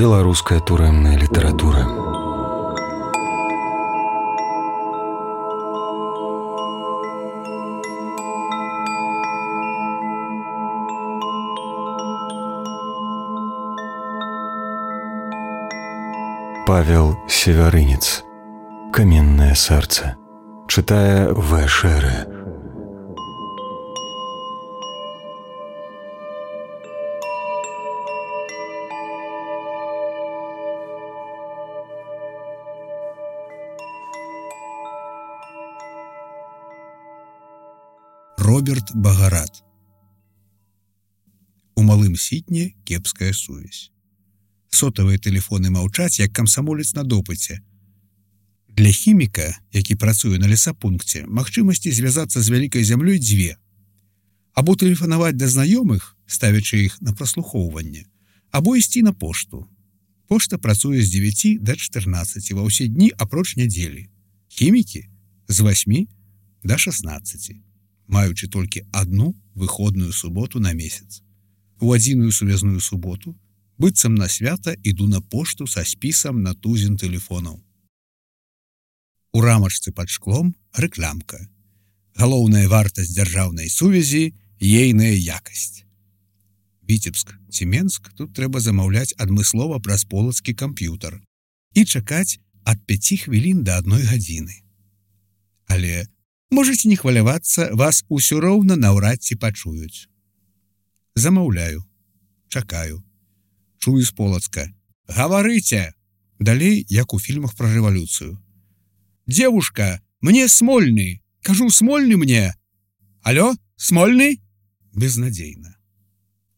Беларуская турэмная літаратура. Павел Севярынец. «Каменное сердце». Читая В. Шере. Роберт Багарат. У малым сітні кепская сувязь. Сотавыя тэлефоны маўчаць, як камсамолец на допыце. Для хіміка, які працуе на лесапункце, магчымасці звязацца з вялікай зямлёй дзве. Або тэлефанаваць да знаёмых, ставячы іх на праслухоўванне, або ісці на пошту. Пошта працуе з 9 да 14 ва ўсе дні апроч нядзелі. Хімікі з 8 да 16, маючы толькі адну выходную суботу на месяц. У адзіную сувязную суботу быццам на свята іду на пошту са спісам на тузін тэлефонаў. У рамачцы пад шклом рэклямка. Галоўная вартасць дзяржаўнай сувязі – ейная якасць. Віцебск ці Менск тут трэба замаўляць адмыслова праз полацкі камп'ютар і чакаць ад 5 хвілін да 1 гадзіны. Але можаце не хвалявацца, вас усё роўна наўрад ці пачуюць. Замаўляю. Чакаю. Чую з Полацка. «Гаварыце!» Далей, як у фільмах пра рэвалюцыю. «Девушка, мне Смольны! Кажу, Смольны мне! Алло, Смольны?» Безнадзейна.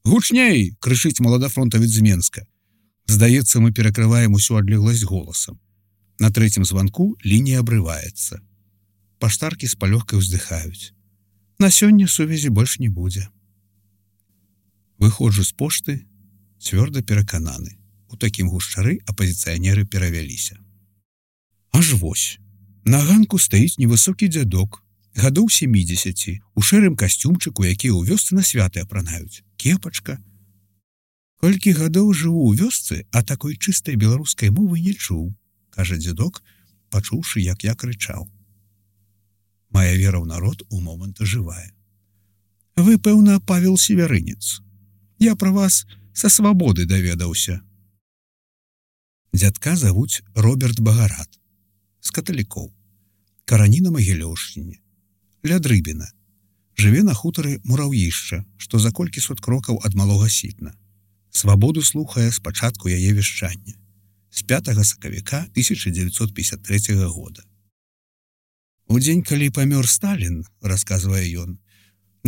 «Гучней!» — крычыць маладафронтавец з Менска. Здаецца, мы перакрываем усю адлегласць голасам. На трэцім званку лінія абрываецца. Паштаркі з палёгкай уздыхаюць. На сёння сувязі больш не будзе. Выходжу з пошты, цвёрда перакананы. У такім гушчары апазіцыянеры перавяліся. Аж вось. На ганку стаіць невысокі дзядок, гадоў 70, у шэрым касцюмчыку, які ў вёсцы на святы апранаюць. Кепачка. Колькі гадоў жыву ў вёсцы, а такой чыстай беларускай мовы не чуў, кажа дзядок, пачуўшы, як я крычаў. Мая вера ў народ у момант жывая. Вы, пэўна, Павел Севярынец. Я пра вас са свабоды даведаўся. Дзядка завуць Роберт Багарат. З каталікоў. Карані на Магілёўшчыне. Ля Дрыбіна. Жыве на хутары Мураўішча, што за колькі сот крокаў ад Малога Сітна. Свабоду слухае з пачатку яе вяшчання. З 5 сакавіка 1953 года. У дзень, калі памёр Сталін, расказвае ён,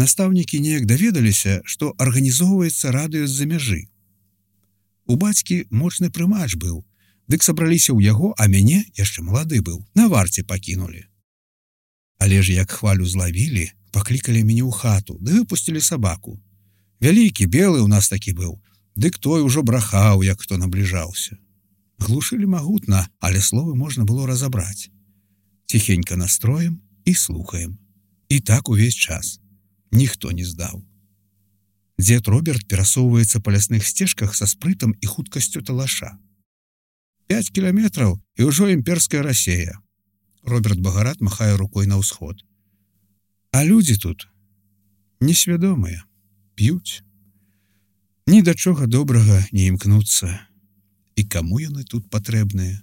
настаўнікі неяк даведаліся, што арганізоўваецца радыё з-за мяжы. У бацькі моцны прымач быў, дык сабраліся ў яго, а мяне, яшчэ малады быў, на варце пакінулі. Але ж як хвалю злавілі, паклікалі мяне ў хату, ды выпусцілі сабаку. Вялікі, белы ў нас такі быў, дык той ужо брахаў, як хто набліжаўся. Глушылі магутна, але словы можна было разабраць. Ціхенька настроем і слухаем. І так увесь час. Ніхто не здаў. Дзед Роберт перасоўваецца па лясных сцежках са спрытам і хуткасцю талаша. 5 кіламетраў і ўжо імперская Расея. Роберт Багарат махае рукой на ўсход. А людзі тут несвядомыя, п'юць. Ні да чога добрага не імкнуцца. І каму яны тут патрэбныя?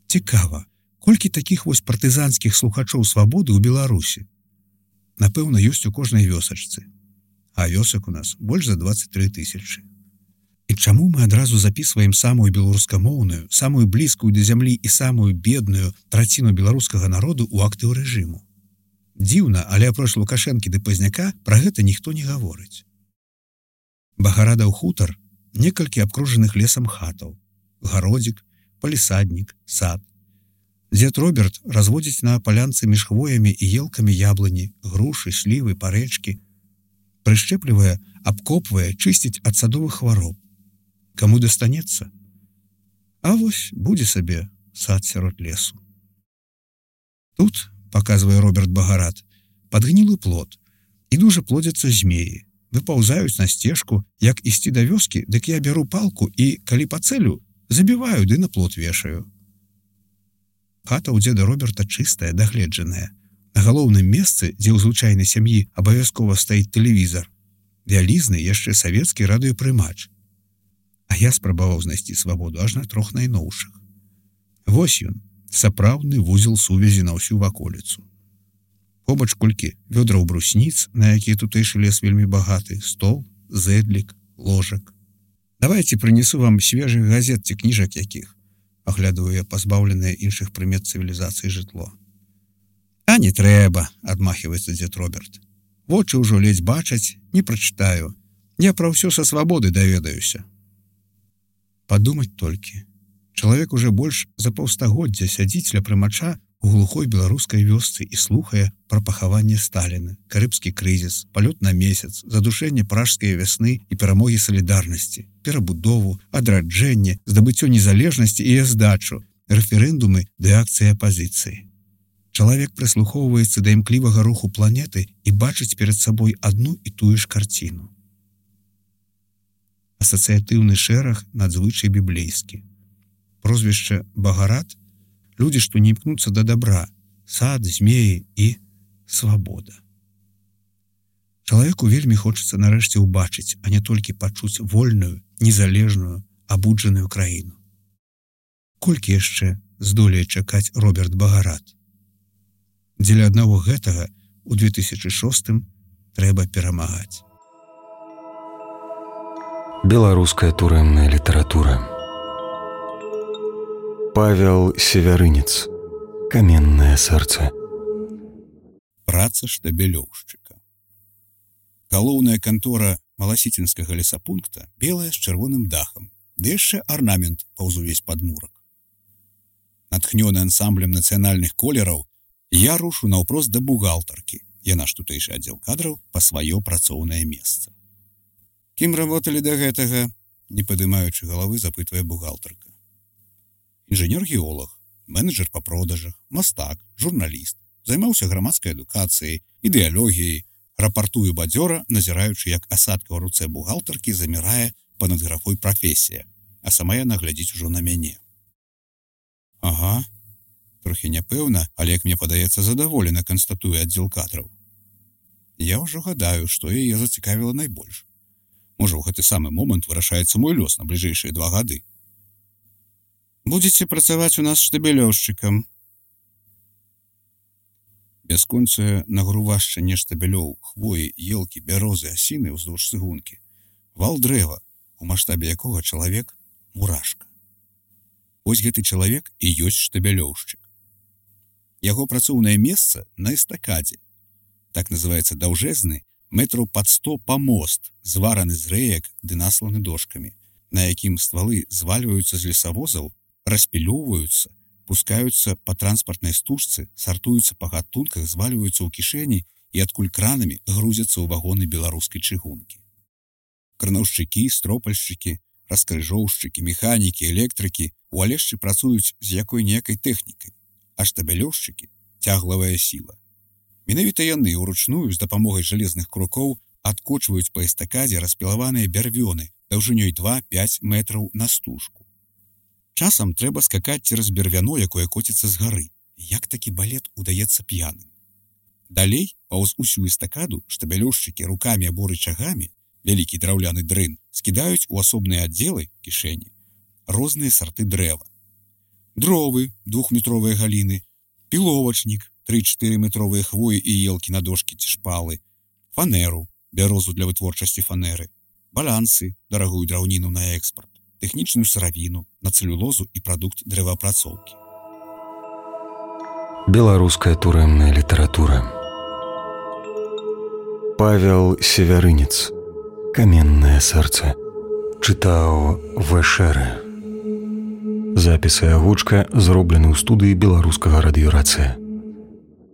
Цікава, колькі такіх вось партызанскіх слухачоў свабоды ў Беларусі? Напэўна, ёсць у кожнай вёсачцы. А вёсак у нас больш за 23 000. І чаму мы адразу запісваем самую беларускамоўную, самую блізкую да зямлі і самую бедную траціну беларускага народу ў актыў рэжыму? Дзіўна, але апроч Лукашэнкі ды Пазняка пра гэта ніхто не гаворыць. Багарадаў хутар, некалькі абкружаных лесам хатаў, гародзік, палісаднік, сад. Дзед Роберт разводзіць на палянцы між хвоямі і елкамі яблыні, грушы, слівы, парэчкі. Прышчэплівае, абкопвае, чысціць ад садовых хвароб. Каму дастанецца? А вось будзе сабе сад сярод лесу. Тут, паказвае Роберт Багарат, падгнілы плод, і дужа плодзяцца змеі, выпаўзаюць на сцежку, як ісці да вёскі, дык я бяру палку і, калі пацэлю, забіваю ды на плот вешаю. Хата ў дзеда Роберта чыстая, дагледжаная. На галоўным месцы, дзе ў звычайнай сям'і абавязкова стаіць тэлевізар, вялізны яшчэ савецкі радыёпрымач. А я спрабаваў знайсці свабоду аж на 3 найноўшых. Вось ён, сапраўдны вузел сувязі на ўсю ваколіцу. Побач колькі вёдраў брусніц, на якія тутэйшы лес вельмі багаты, стол, зэдлік, ложак. Давайце прынесу вам свежых газет ці кніжак якіх, аглядваю я пазбаўленае іншых прымет цывілізацыі жытло. А не трэба, адмахваецца дзед Роберт. Вочы ўжо ледзь бачаць, не прачытаю. Я пра ўсё са свабоды даведаюся. Падумаць толькі. Чалавек уже больш за паўстагоддзя сядзіць ля прымача у глухой беларускай вёсцы і слухае пра пахаванне Сталіна, карыбскі крызіс, палёт на месяц, задушэнне пражскай вясны і перамогі салідарнасці, перабудову, адраджэнне, здабыццё незалежнасці і здачу, рэферэндумы ды акцыі апазіцыі. Чалавек прыслухоўваецца да імклівага руху планеты і бачыць перад сабой адну і тую ж карціну. Асацыятыўны шэраг надзвычай біблейскі. Прозвішча Багарат — людзі, што не імкнуцца да дабра, сад, змеі і свабода. Чалавеку вельмі хочацца нарэшце ўбачыць, а не толькі пачуць вольную, незалежную, абуджаную краіну. Колькі яшчэ здолее чакаць Роберт Багарат? Дзеля аднаго гэтага у 2006 трэба перамагаць. Беларуская турэмная літаратура. Павел Севярынец. Каменнае сэрца. Праца штабелёўшчыка. Галоўная кантора маласіцінскага лесапункта белая з чырвоным дахам, ды яшчэ арнамент паўз увесь падмурак. Натхнёны ансамблем нацыянальных колераў, я рушу наўпрост да бухгалтаркі, яна ж тутэйшы аддзел кадраў, па сваё працоўнае месца. Кім работалі да гэтага? Не падымаючы галавы, запытвае бухгалтарка. Інжынер-геолог, менеджер па продажах, мастак, журналіст, займаўся грамадскай адукацыяй, ідэалогіяй, рапартую бадзёра, назіраючы, як асадка ў руцэ бухгалтаркі замірае па-над графой прафесія, а сама яна глядзіць ужо на мяне. Ага, трохі няпэўна, але, як мне падаецца, задаволена, канстатуе аддзел кадраў. Я ўжо гадаю, што яе зацікавіла найбольш. Можа, ў гэты самы момант вырашаецца мой лёс на бліжэйшыя 2 гады. Будзеце працаваць у нас штабелёўшчыкам. Бясконцае нагрувашчанне штабелёў, хвоі, елкі, бярозы, асіны ўздоўж цыгункі. Вал дрэва, у маштабе якога чалавек — мурашка. Вось гэты чалавек і ёсць штабелёўшчык. Яго працоўнае месца на эстакадзе. Так называецца даўжэзны, метраў пад 100 памост, звараны з рэек ды насланы дошкамі, на якім ствалы звальваюцца з лесавозаў, распілёўваюцца, пускаюцца па транспартнай стужцы, сартуюцца па гатунках, звальваюцца ў кішэні і адкуль кранамі грузяцца ў вагоны беларускай чыгункі. Кранаўшчыкі, стропальшчыкі, раскрыжоўшчыкі, механікі, электрыкі у Алешчы працуюць з якой-ніякай тэхнікай, а штабелёўшчыкі — цяглавая сіла. Менавіта яны ўручную з дапамогай жалезных крукоў адкочваюць па эстакадзе распілаваныя бярвёны даўжынёй 2-5 метраў на стужку. Часам трэба скакаць цераз бервяно, якое коціцца з гары. Як такі балет удаецца п'яным. Далей, паўз усю эстакаду, штабелёўшчыкі рукамі або рычагамі, вялікі драўляны дрын, скідаюць у асобныя аддзелы, кішэні, розныя сарты дрэва. Дровы, 2-метровыя галіны, піловачнік, 3-4 метровыя хвоі і елкі на дошкі ці шпалы, фанеру, бярозу для вытворчасці фанеры, балансы, дарагую драўніну на экспарт, тэхнічную сыравіну, на цэлюлозу і прадукт дрэваапрацоўкі. Беларуская турэмная літаратура. Павел Севярынец. Каменнае сэрца. Чытаў В.Шэрэ. Запіс і агучка зроблены ў студыі беларускага радыёрацыя.